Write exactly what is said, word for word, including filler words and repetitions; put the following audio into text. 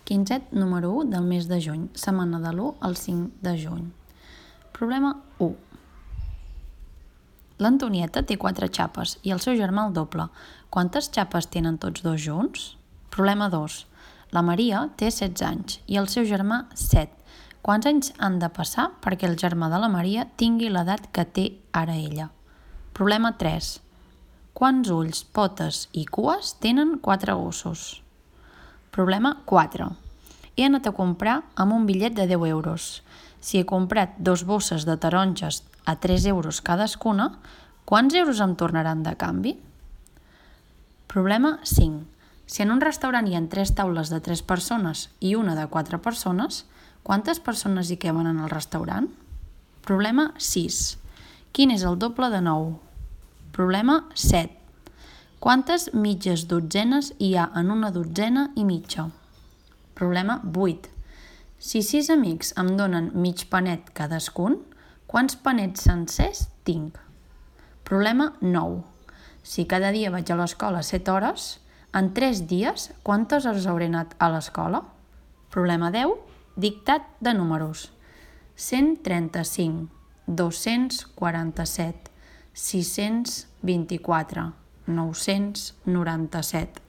Quinzet número u del mes de juny, setmana de l'u al cinc de juny. Problema u. L'Antonieta té quatre xapes i el seu germà el doble. Quantes xapes tenen tots dos junts? Problema dos. La Maria té setze anys i el seu germà set. Quants anys han de passar perquè el germà de la Maria tingui l'edat que té ara ella? Problema tres. Quants ulls, potes i cues tenen quatre gossos? Problema quatre. He anat a comprar amb un bitllet de deu euros. Si he comprat dos bosses de taronges a tres euros cadascuna, quants euros em tornaran de canvi? Problema cinc. Si en un restaurant hi ha tres taules de tres persones i una de quatre persones, quantes persones hi caben en el restaurant? Problema sis. Quin és el doble de nou? Problema set. Quantes mitges dotzenes hi ha en una dotzena i mitja? Problema vuit. Si sis amics em donen mig panet cadascun, quants panets sencers tinc? Problema nou. Si cada dia vaig a l'escola set hores, en tres dies quantes hores hauré anat a l'escola? Problema deu. Dictat de números. cent trenta-cinc, dos-cents quaranta-set, sis-cents vint-i-quatre, nou-cents noranta-set.